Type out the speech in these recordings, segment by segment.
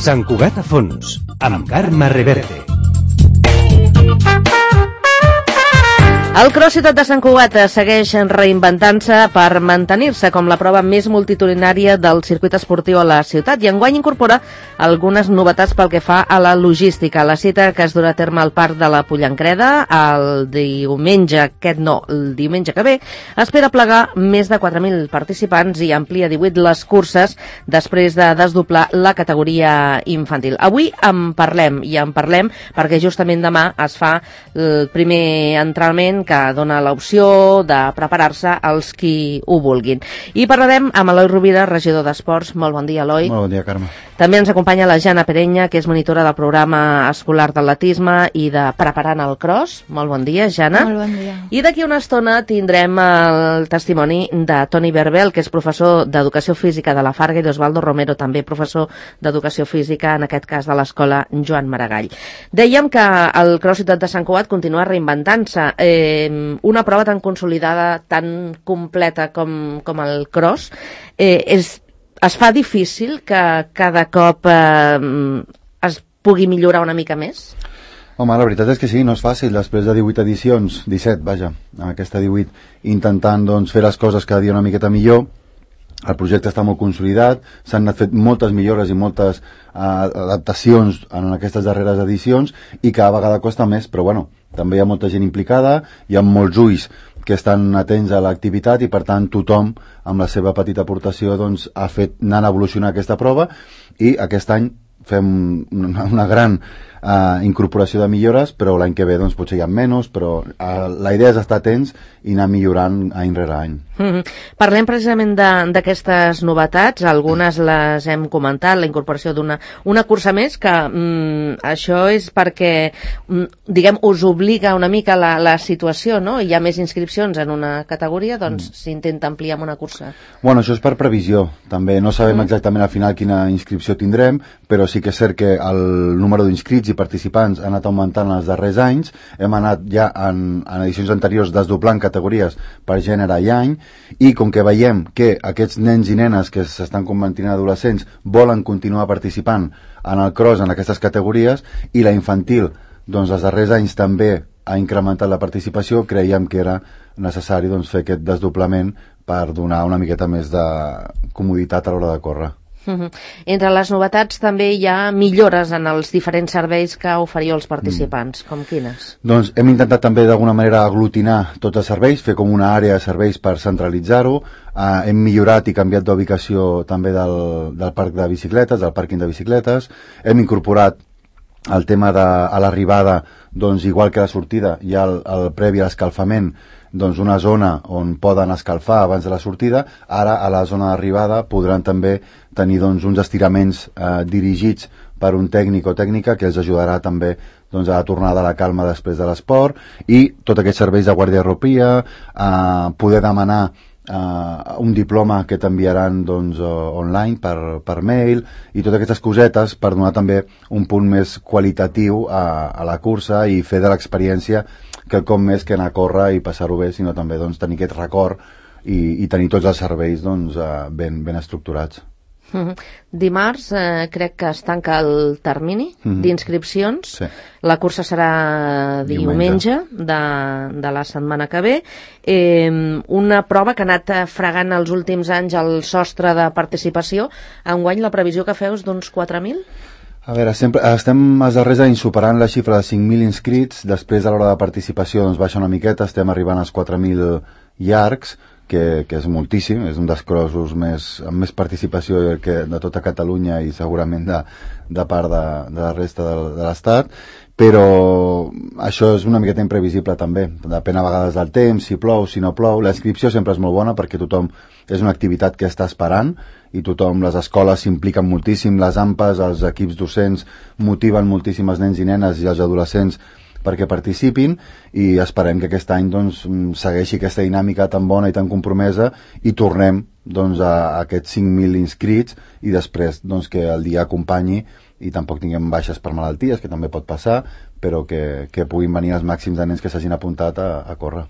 Sant Cugat a fons, amb Carme Reverte. El Cross Ciutat de Sant Cugat segueix reinventant-se per mantenir-se com la prova més multitudinària del circuit esportiu a la ciutat i enguany incorpora algunes novetats pel que fa a la logística. La cita que es durà a terme al Parc de la Pollancreda el diumenge que ve espera plegar més de 4.000 participants i amplia 18 les curses després de desdoblar la categoria infantil. Avui en parlem perquè justament demà es fa el primer entrenament que dona l'opció de preparar-se als qui ho vulguin. I parlarem amb Eloi Rovira, regidor d'Esports. Molt bon dia, Eloi. Molt bon dia, Carme. També ens acompanya la Jana Perenya, que és monitora del programa escolar d'atletisme i de Preparant el Cross. Molt bon dia, Jana. Molt bon dia. I d'aquí una estona tindrem el testimoni de Toni Berbel, que és professor d'Educació Física de la Farga, i d'Osvaldo Romero, també professor d'Educació Física, en aquest cas de l'Escola Joan Maragall. Dèiem que el Cross Ciutat de Sant Cugat continua reinventant-se. Una prova tan consolidada, tan completa com el Cross, es fa difícil que cada cop es pugui millorar una mica més? Home, la veritat és que sí, no és fàcil. Després de 18 edicions, 17, vaja, aquesta 18, intentant doncs, fer les coses cada dia una miqueta millor. El projecte està molt consolidat, s'han anat fet moltes millores i moltes adaptacions en aquestes darreres edicions i cada vegada costa més, però bueno, també hi ha molta gent implicada, hi ha molts ulls que estan atents a l'activitat i per tant tothom amb la seva petita aportació doncs, ha fet anant a evolucionar aquesta prova i aquest any fem una gran incorporació de millores, però l'any que ve doncs, potser hi ha menys, però la idea és estar atents i anar millorant any rere any. Parlem precisament d'aquestes novetats, algunes les hem comentat, la incorporació d'una cursa més, que això és perquè, diguem, us obliga una mica la situació, no? Hi ha més inscripcions en una categoria, doncs s'intenta ampliar amb una cursa. Bueno, això és per previsió, també no sabem exactament al final quina inscripció tindrem, però sí que és cert que el número d'inscrits i participants ha anat augmentant en els darrers anys. Hem anat ja en edicions anteriors desdoblant categories per gènere i any, i com que veiem que aquests nens i nenes que s'estan convertint en adolescents volen continuar participant en el cross en aquestes categories, i la infantil doncs els darrers anys també ha incrementat la participació, creiem que era necessari doncs, fer aquest desdoblament per donar una miqueta més de comoditat a l'hora de córrer. Entre les novetats també hi ha millores en els diferents serveis que oferiu als participants, com quines? Doncs hem intentat també d'alguna manera aglutinar tots els serveis, fer com una àrea de serveis per centralitzar-ho. Hem millorat i canviat d'ubicació també del parc de bicicletes, del pàrquing de bicicletes. Hem incorporat el tema a l'arribada, doncs igual que a la sortida hi ha el previ a l'escalfament, doncs una zona on poden escalfar abans de la sortida. Ara a la zona d'arribada podran també tenir doncs, uns estiraments dirigits per un tècnic o tècnica que els ajudarà també doncs, a tornar de la calma després de l'esport, i tots aquests serveis de guardiarropia, poder demanar un diploma que t'enviaran doncs, online per mail, i totes aquestes cosetes per donar també un punt més qualitatiu a la cursa i fer de l'experiència quelcom més que anar a córrer i passar-ho bé, sinó també doncs, tenir aquest record i tenir tots els serveis doncs, ben estructurats. Dimarts crec que es tanca el termini d'inscripcions. Sí. La cursa serà diumenge de la setmana que ve. Una prova que ha anat fregant els últims anys el sostre de participació. Enguany la previsió que feu és d'uns 4.000? A veure, estem els darrers anys superant la xifra de 5.000 inscrits. Després, a l'hora de participació, doncs baixa una miqueta, estem arribant als 4.000 llargs, que és moltíssim, és un dels crossos amb més participació de tota Catalunya i segurament de part de la resta de l'Estat, però això és una miqueta imprevisible també, depèn a vegades del temps, si plou, si no plou. La inscripció sempre és molt bona perquè tothom és una activitat que està esperant i tothom, les escoles s'impliquen moltíssim, les AMPAs, els equips docents motiven moltíssim els nens i nenes i els adolescents perquè participin, i esperem que aquest any doncs, segueixi aquesta dinàmica tan bona i tan compromesa i tornem doncs, a aquests 5.000 inscrits, i després doncs, que el dia acompanyi i tampoc tinguem baixes per malalties, que també pot passar, però que puguin venir els màxims de nens que s'hagin apuntat a córrer.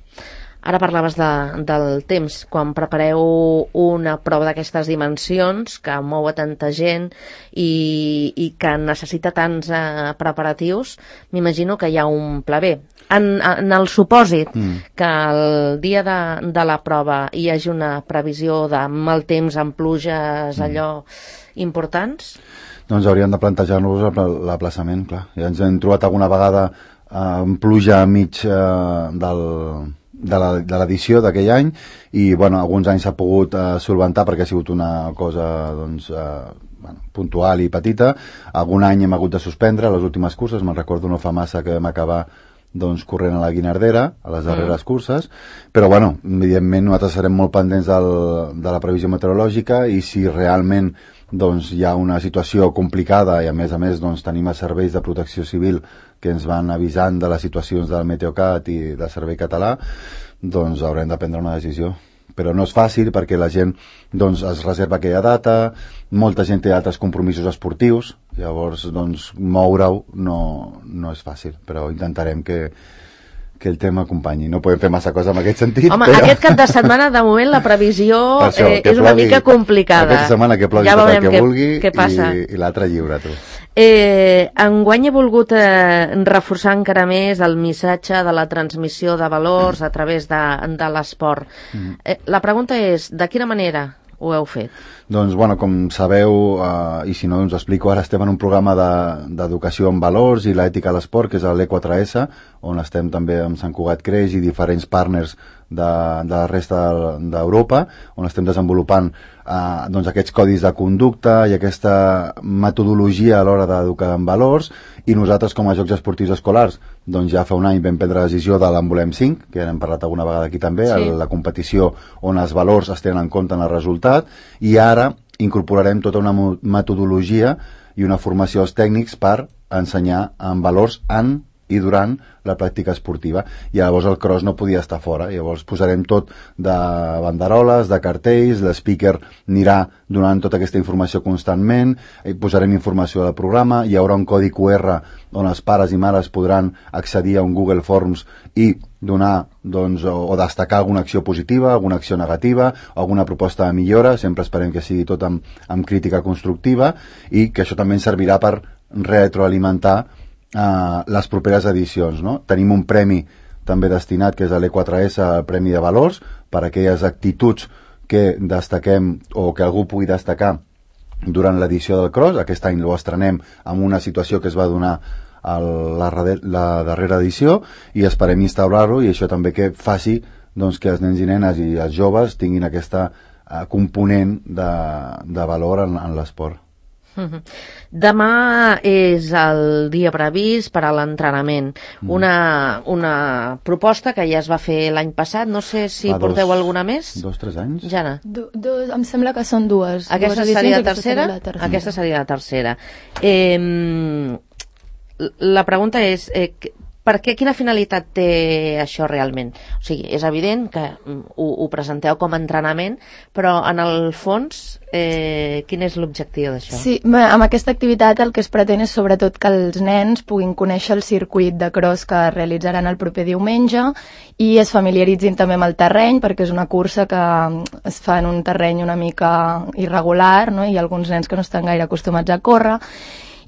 Ara parlaves del temps. Quan prepareu una prova d'aquestes dimensions que mou a tanta gent i que necessita tants preparatius, m'imagino que hi ha un pla B. En el supòsit que el dia de la prova hi hagi una previsió de mal temps amb pluges allò importants? Doncs hauríem de plantejar-nos l'aplaçament, clar. Ja ens hem trobat alguna vegada amb pluja mig de l'edició d'aquell any i bueno, alguns anys s'ha pogut solventar perquè ha sigut una cosa doncs, puntual i petita. Algun any hem hagut de suspendre les últimes curses, me'n recordo no fa massa que vam acabar doncs, corrent a la Guinardera, a les darreres curses, però bueno, evidentment nosaltres serem molt pendents de la previsió meteorològica i si realment doncs, hi ha una situació complicada i a més doncs, tenim els serveis de protecció civil que ens van avisant de les situacions del Meteocat i del Servei Català, doncs haurem de prendre una decisió. Però no és fàcil perquè la gent doncs, es reserva aquella data, molta gent té altres compromisos esportius, llavors doncs, moure-ho no és fàcil, però intentarem que el tema acompanyi. No podem fer massa cosa en aquest sentit. Home, però... aquest cap de setmana, de moment, la previsió és una mica complicada. Aquesta setmana que plogui tot el que vulgui i l'altre lliure, tu. Enguany he volgut reforçar encara més el missatge de la transmissió de valors a través de l'esport. La pregunta és, de quina manera ho heu fet? Doncs, bueno, com sabeu, i si no, doncs explico, ara estem en un programa d'educació en valors i l'ètica a l'esport, que és l'E4S, on estem també amb Sant Cugat Creix i diferents partners de la resta d'Europa, on estem desenvolupant doncs aquests codis de conducta i aquesta metodologia a l'hora d'educar en valors, i nosaltres com a Jocs Esportius Escolars doncs ja fa un any vam prendre la decisió de l'Envolem 5, que ja n'hem parlat alguna vegada aquí també, sí. La competició on els valors es tenen en compte en el resultat, i ara incorporarem tota una metodologia i una formació als tècnics per ensenyar en valors en i durant la pràctica esportiva. I llavors el cross no podia estar fora. Llavors posarem tot de banderoles, de cartells, l'speaker anirà donant tota aquesta informació constantment, posarem informació del programa, hi haurà un codi QR on els pares i mares podran accedir a un Google Forms i donar doncs, o destacar alguna acció positiva, alguna acció negativa, alguna proposta de millora, sempre esperem que sigui tot amb crítica constructiva, i que això també ens servirà per retroalimentar les properes edicions, no? Tenim un premi també destinat, que és l'E4S, el Premi de Valors, per aquelles actituds que destaquem o que algú pugui destacar durant l'edició del cross. Aquest any ho estrenem amb una situació que es va donar a la darrera edició i esperem instaurar-ho, i això també que faci doncs, que els nens i nenes i els joves tinguin aquesta component de valor en l'esport. Demà és el dia previst per a l'entrenament. Una proposta que ja es va fer l'any passat, no sé si porteu alguna més? 2-3 anys? Jana? Em sembla que són dues. Aquesta seria la tercera? Aquesta seria la tercera. La pregunta és, per què, quina finalitat té això realment? O sigui, és evident que ho presenteu com a entrenament, però en el fons, quin és l'objectiu d'això? Sí, amb aquesta activitat el que es pretén és sobretot que els nens puguin conèixer el circuit de cross que realitzaran el proper diumenge i es familiaritzin també amb el terreny, perquè és una cursa que es fa en un terreny una mica irregular, no? Hi ha alguns nens que no estan gaire acostumats a córrer,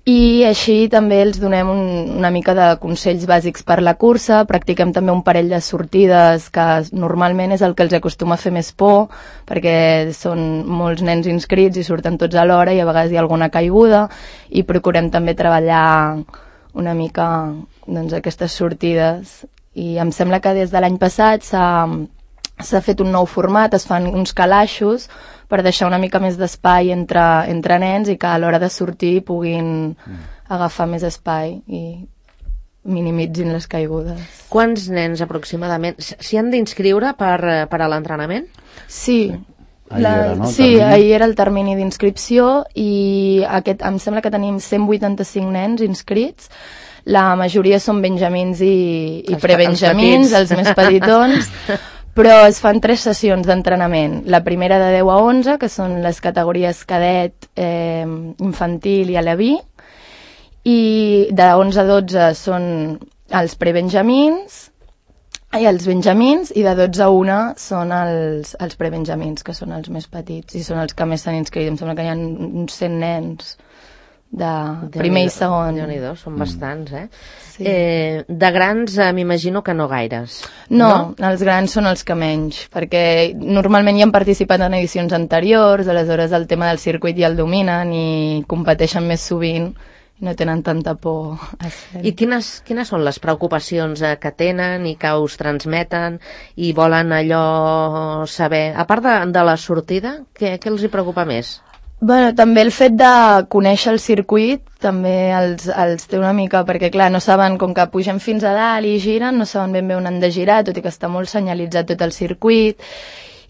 i així també els donem una mica de consells bàsics per la cursa. Practiquem també un parell de sortides que normalment és el que els acostuma a fer més por, perquè són molts nens inscrits i surten tots a l'hora i a vegades hi ha alguna caiguda, i procurem també treballar una mica doncs, aquestes sortides. I em sembla que des de l'any passat s'ha fet un nou format, es fan uns calaixos per deixar una mica més d'espai entre nens i que a l'hora de sortir puguin agafar més espai i minimitzin les caigudes. Quants nens aproximadament s'hi han d'inscriure per a l'entrenament? Sí. Ahir era el termini d'inscripció i em sembla que tenim 185 nens inscrits. La majoria són benjamins i prebenjamins, els més petitons. Però es fan 3 sessions d'entrenament. La primera de 10 a 11, que són les categories cadet, infantil i aleví, i de 11 a 12 són els prebenjamins, i els benjamins, i de 12 a 1 són els prebenjamins, que són els més petits, i són els que més s'han inscrit. Em sembla que hi ha uns 100 nens de primer i segon. Déu-n'hi-do, són bastants, Sí. De grans m'imagino que no gaires. No, els grans són els que menys, perquè normalment ja han participat en edicions anteriors, aleshores el tema del circuit ja el dominen i competeixen més sovint i no tenen tanta por a ser. I quines són les preocupacions que tenen i que us transmeten i volen allò saber? A part de la sortida, què els hi preocupa més? Bueno, també el fet de conèixer el circuit també els té una mica, perquè clar, no saben, com que pugen fins a dalt i giren, no saben ben bé on han de girar, tot i que està molt senyalitzat tot el circuit.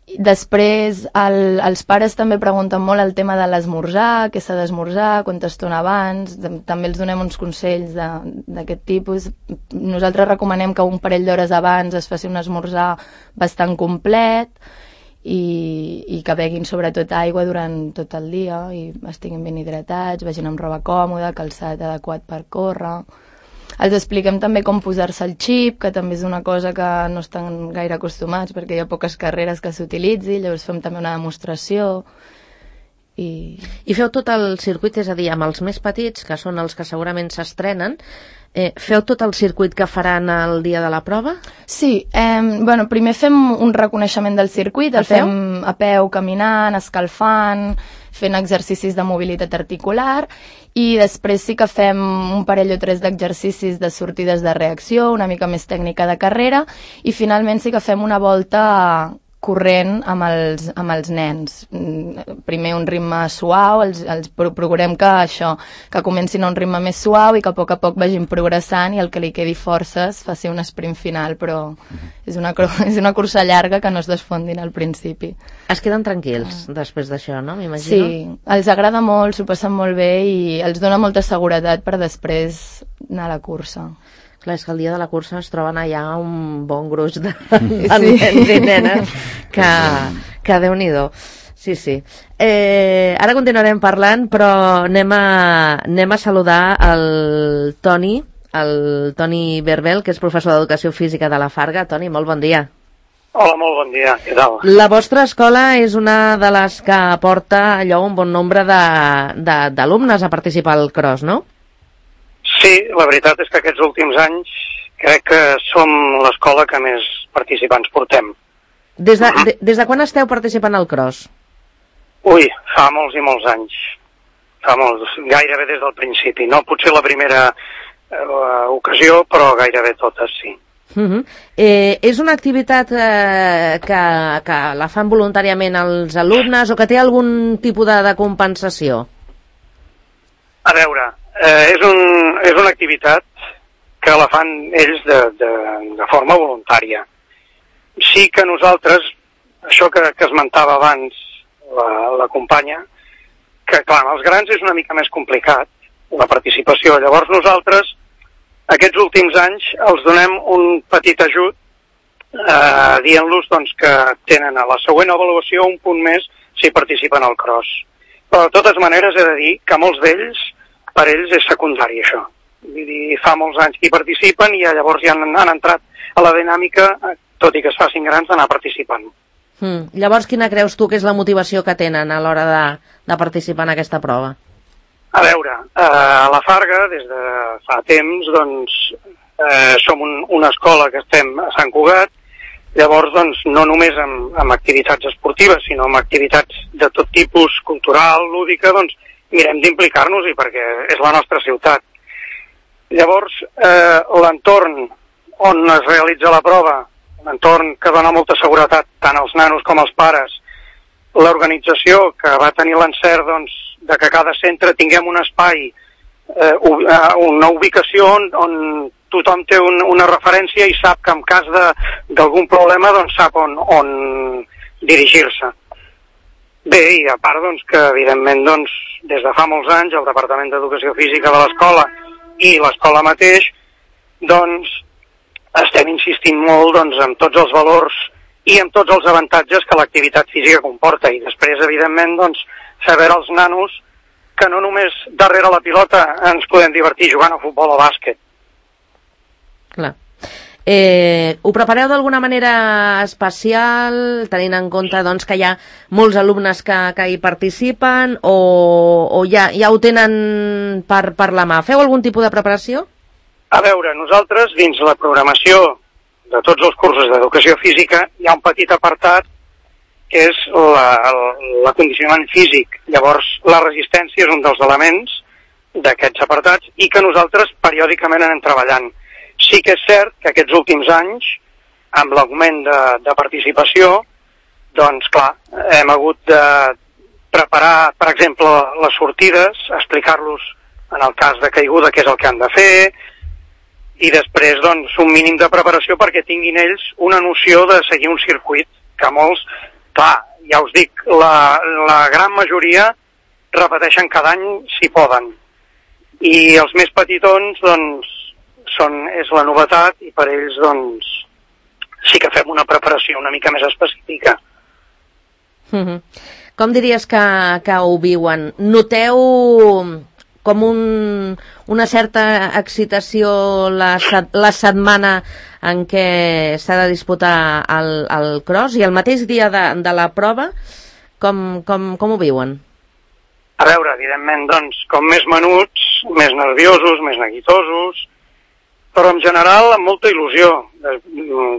Després, els pares també pregunten molt el tema de l'esmorzar, què s'ha d'esmorzar, quanta estona abans, també els donem uns consells d'aquest tipus. Nosaltres recomanem que un parell d'hores abans es faci un esmorzar bastant complet, i que beguin sobretot aigua durant tot el dia i estiguin ben hidratats, vagin amb roba còmoda, calçat adequat per córrer. Els expliquem també com posar-se el xip, que també és una cosa que no estan gaire acostumats perquè hi ha poques carreres que s'utilitzi, llavors fem també una demostració. I feu tot el circuit, és a dir, amb els més petits, que són els que segurament s'estrenen, feu tot el circuit que faran el dia de la prova? Sí, bueno, primer fem un reconeixement del circuit, el fem a peu, caminant, escalfant, fent exercicis de mobilitat articular, i després sí que fem un parell o tres d'exercicis de sortides de reacció, una mica més tècnica de carrera, i finalment sí que fem una volta corrent amb els nens. Primer un ritme suau, els procurem que comencin a un ritme més suau i que a poc vagin progressant i el que li quedi forces faci un sprint final, però és una cursa llarga que no es desfondin al principi. Es queden tranquils després d'això, no? M'imagino. Sí, els agrada molt, s'ho passen molt bé i els dona molta seguretat per després anar a la cursa. Clar, és que el dia de la cursa es troben allà un bon gruix de nens i nenes que Déu-n'hi-do. Sí, sí. Ara continuarem parlant, però anem a saludar el Toni Berbel, que és professor d'Educació Física de la Farga. Toni, molt bon dia. Hola, molt bon dia. Què tal? La vostra escola és una de les que porta allò un bon nombre d'alumnes a participar al cross, no? Sí, la veritat és que aquests últims anys crec que som l'escola que més participants portem. Des de quan esteu participant al cross? Ui, fa molts i molts anys. Fa molts, gairebé des del principi. No potser la primera ocasió, però gairebé totes, sí. És una activitat que la fan voluntàriament els alumnes o que té algun tipus de compensació? A veure, és una activitat que la fan ells de forma voluntària. Sí que nosaltres, això que esmentava abans la companya, que clar, els grans és una mica més complicat, la participació. Llavors nosaltres, aquests últims anys, els donem un petit ajut, dient-los doncs, que tenen a la següent avaluació un punt més si participen al cross. Però de totes maneres he de dir que molts d'ells, per ells és secundari això. Vull dir, fa molts anys que hi participen i llavors ja han entrat a la dinàmica, tot i que es facin grans, d'anar participant. Llavors, quina creus tu que és la motivació que tenen a l'hora de participar en aquesta prova? A veure, a la Farga, des de fa temps, doncs, som una escola que estem a Sant Cugat. Llavors, doncs, no només amb activitats esportives, sinó amb activitats de tot tipus, cultural, lúdica, doncs, mirem d'implicar-nos-hi perquè és la nostra ciutat. Llavors, l'entorn on es realitza la prova, un entorn que dona molta seguretat tant als nanos com als pares, l'organització que va tenir l'encert doncs, de que cada centre tinguem un espai, una ubicació on tothom té una referència i sap que en cas d'algun problema doncs, sap on dirigir-se. Bé, i a part doncs, que evidentment doncs, des de fa molts anys el Departament d'Educació Física de l'escola i l'escola mateix doncs, estem insistint molt doncs, en tots els valors i en tots els avantatges que l'activitat física comporta. I després, evidentment, doncs, saber als nanos que no només darrere la pilota ens podem divertir jugant a futbol o bàsquet. Clar. Ho prepareu d'alguna manera especial, tenint en compte doncs, que hi ha molts alumnes que hi participen, o ja ho tenen per la mà? Feu algun tipus de preparació? A veure, nosaltres, dins la programació de tots els cursos d'educació física, hi ha un petit apartat que és l'acondicionament físic. Llavors, la resistència és un dels elements d'aquests apartats i que nosaltres periòdicament anem treballant. Sí que és cert que aquests últims anys, amb l'augment de participació, doncs clar, hem hagut de preparar, per exemple, les sortides, explicar-los en el cas de caiguda què és el que han de fer, i després doncs un mínim de preparació perquè tinguin ells una noció de seguir un circuit, que molts, clar, ja us dic, la gran majoria repeteixen cada any si poden. I els més petitons, doncs, és la novetat i per ells, doncs, sí que fem una preparació una mica més específica. Com diries que ho viuen? Noteu com una certa excitació la setmana en què s'ha de disputar el cross i el mateix dia de la prova, com ho viuen? A veure, evidentment, doncs, com més menuts, més nerviosos, més neguitosos, però en general amb molta il·lusió.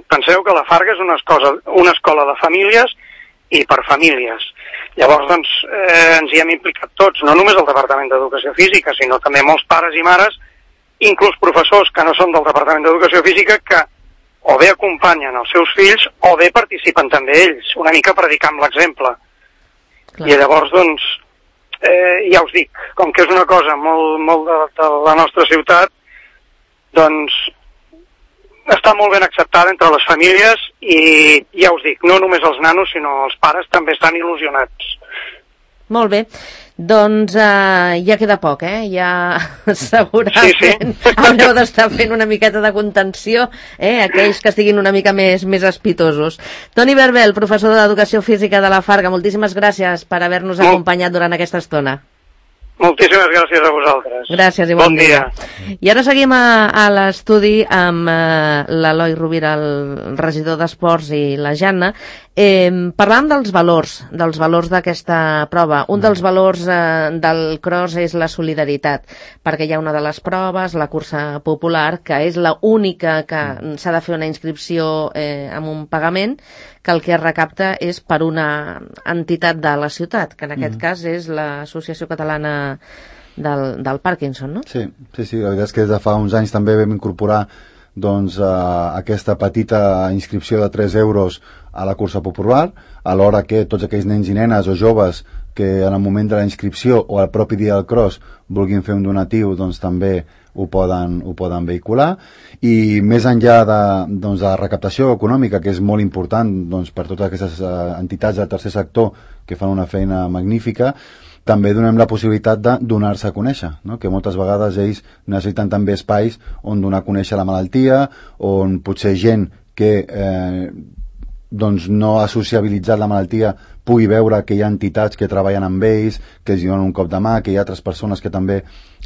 Penseu que la Farga és una escola de famílies i per famílies. Llavors, doncs, ens hi hem implicat tots, no només el Departament d'Educació Física, sinó també molts pares i mares, inclús professors que no són del Departament d'Educació Física, que o bé acompanyen els seus fills o bé participen també ells, una mica predicant l'exemple. I llavors, doncs, ja us dic, com que és una cosa molt de la nostra ciutat, doncs està molt ben acceptada entre les famílies i ja us dic, no només els nanos sinó els pares també estan il·lusionats. Molt bé, doncs ja queda poc, ja segurament haureu d'estar fent una miqueta de contenció, aquells que estiguin una mica més espitosos. Toni Berbel, professor d'Educació Física de la Farga, moltíssimes gràcies per haver-nos acompanyat durant aquesta estona. Moltíssimes gràcies a vosaltres. Gràcies i bon dia. I ara seguim a l'estudi amb l'Eloi Rovira, el regidor d'Esports, i la Janna, parlant dels valors d'aquesta prova. Un dels valors del cross és la solidaritat, perquè hi ha una de les proves, la cursa popular, que és l'única que s'ha de fer una inscripció amb un pagament, que el que es recapta és per una entitat de la ciutat, que en aquest cas és l'Associació Catalana del Parkinson, no? Sí, la veritat és que des de fa uns anys també vam incorporar doncs, aquesta petita inscripció de 3 euros a la cursa popular, alhora que tots aquells nens i nenes o joves que en el moment de la inscripció o al propi dia del cross vulguin fer un donatiu, doncs també ho poden vehicular. I més enllà de la recaptació econòmica, que és molt important doncs, per totes aquestes entitats del tercer sector que fan una feina magnífica, també donem la possibilitat de donar-se a conèixer, no? Que moltes vegades ells necessiten també espais on donar a conèixer la malaltia, on potser gent que doncs no ha sociabilitzat la malaltia pugui veure que hi ha entitats que treballen amb ells, que els donen un cop de mà, que hi ha altres persones que també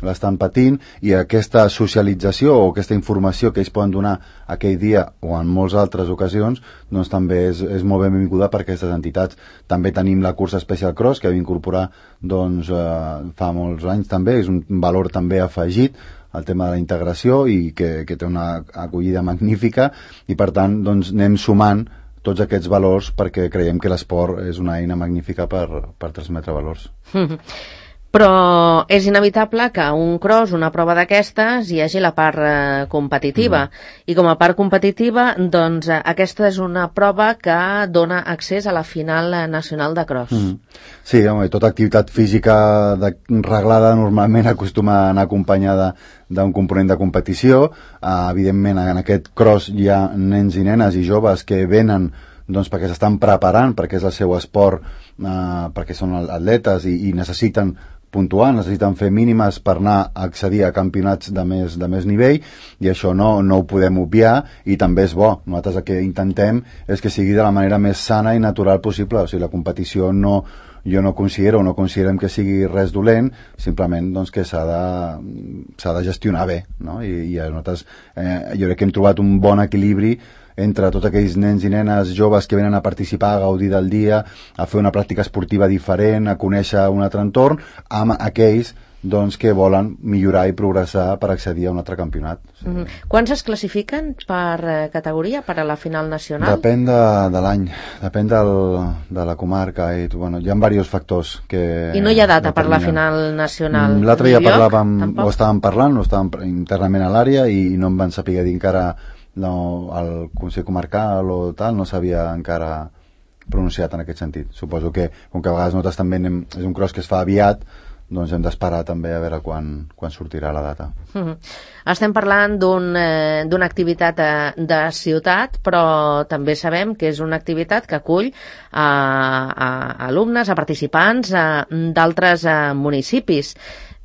l'estan patint, i aquesta socialització o aquesta informació que ells poden donar aquell dia o en moltes altres ocasions, doncs també és molt benvinguda per aquestes entitats. També tenim la cursa Special Cross, que vam incorporar doncs, fa molts anys també, és un valor també afegit al tema de la integració i que té una acollida magnífica, i per tant doncs, anem sumant tots aquests valors perquè creiem que l'esport és una eina magnífica per transmetre valors. Però és inevitable que un cross, una prova d'aquestes, hi hagi la part competitiva. I com a part competitiva, doncs aquesta és una prova que dona accés a la final nacional de cross. Sí, home, tota activitat física reglada normalment acostuma a anar acompanyada d'un component de competició. Evidentment, en aquest cross hi ha nens i nenes i joves que venen doncs, perquè s'estan preparant, perquè és el seu esport, perquè són atletes i necessiten puntuar, necessiten fer mínimes per anar a accedir a campionats de més nivell, i això no ho podem obviar, i també és bo. Nosaltres el que intentem és que sigui de la manera més sana i natural possible, o sigui, la competició no jo no considerem que sigui res dolent, simplement doncs, que s'ha de gestionar bé, no? I nosaltres jo crec que hem trobat un bon equilibri entre tots aquells nens i nenes joves que venen a participar, a gaudir del dia, a fer una pràctica esportiva diferent, a conèixer un altre entorn, amb aquells doncs, que volen millorar i progressar per accedir a un altre campionat. Sí. Quants es classifiquen per categoria, per a la final nacional? Depèn de l'any, depèn de la comarca. Hi ha diversos factors que... I no hi ha data per la final nacional? L'altre dia estàvem parlant internament a l'àrea i no em van saber dir encara el Consell Comarcal o tal, no s'havia encara pronunciat en aquest sentit. Suposo que, com que a vegades nosaltres també és un cross que es fa aviat, doncs hem d'esperar també a veure quan sortirà la data. Estem parlant d'una activitat de ciutat, però també sabem que és una activitat que acull a alumnes, a participants d'altres municipis.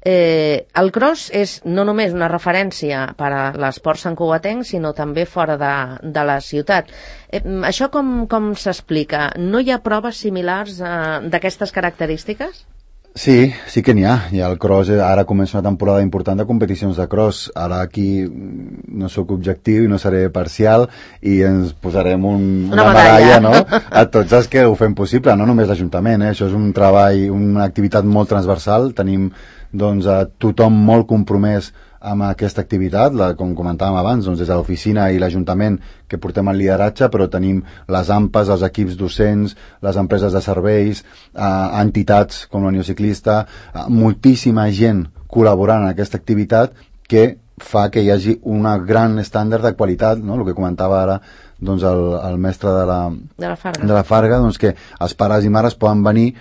El cross és no només una referència per a l'esport santcugatenc, sinó també fora de la ciutat. Això com s'explica? No hi ha proves similars d'aquestes característiques? Sí que n'hi ha. El cross, ara comença una temporada important de competicions de cross. Ara aquí no sóc objectiu i no seré parcial i ens posarem una medalla, no? A tots els que ho fem possible, no només l'Ajuntament, Això és un treball, una activitat molt transversal. Tenim doncs, a tothom molt compromès amb aquesta activitat, com comentàvem abans, doncs, des de l'oficina i l'Ajuntament que portem el lideratge, però tenim les AMPAs, els equips docents, les empreses de serveis, entitats com la Unió Ciclista, moltíssima gent col·laborant en aquesta activitat que fa que hi hagi un gran estàndard de qualitat, no? El que comentava ara doncs, el mestre de la Farga, doncs, que els pares i mares poden venir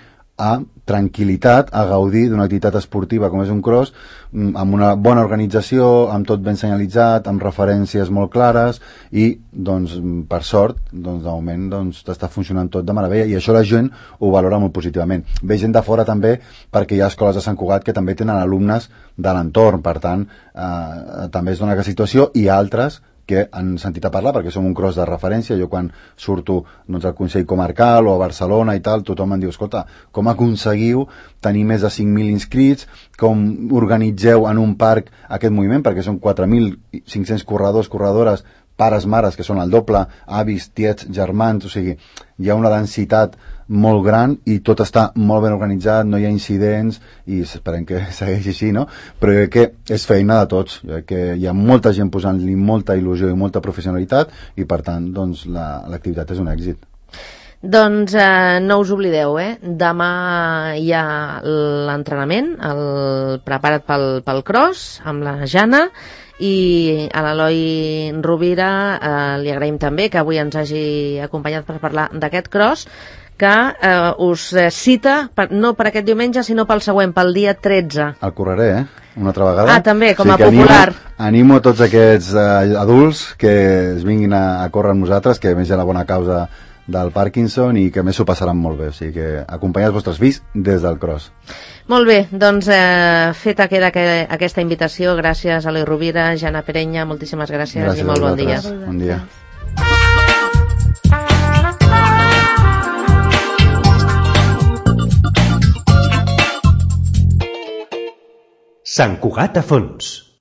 a tranquil·litat, a gaudir d'una activitat esportiva com és un cross, amb una bona organització, amb tot ben senyalitzat, amb referències molt clares i, doncs, per sort, doncs, de moment, doncs, està funcionant tot de meravella i això la gent ho valora molt positivament. Ve gent de fora també perquè hi ha escoles de Sant Cugat que també tenen alumnes de l'entorn, per tant, també es dona aquesta situació i altres que han sentit a parlar, perquè som un cross de referència. Jo quan surto doncs, al Consell Comarcal o a Barcelona i tal, tothom em diu, escolta, com aconseguiu tenir més de 5.000 inscrits, com organitzeu en un parc aquest moviment, perquè són 4.500 corredors, corredores, pares, mares, que són el doble, avis, tiets, germans, o sigui, hi ha una densitat molt gran i tot està molt ben organitzat, no hi ha incidents i esperem que segueixi així, no? Però jo crec que és feina de tots, jo crec que hi ha molta gent posant-li molta il·lusió i molta professionalitat i per tant doncs, l'activitat és un èxit. Doncs no us oblideu, demà hi ha l'entrenament, el prepara't pel cross amb la Jana i a l'Eloi Rovira li agraïm també que avui ens hagi acompanyat per parlar d'aquest cross que us cita no per aquest diumenge sinó pel següent, pel dia 13. El correré, una altra vegada. També, com a popular. Animo tots aquests adults que es vinguin a córrer amb nosaltres, que a més hi ha la bona causa del Parkinson i que a més s'ho passaran molt bé, o sigui que acompanyeu els vostres fills des del cross. Molt bé, doncs feta queda aquesta invitació. Gràcies a Eloi Rovira, Jana Perenya, moltíssimes gràcies i molt bon dia. Bon dia. Sant Cugat a fons.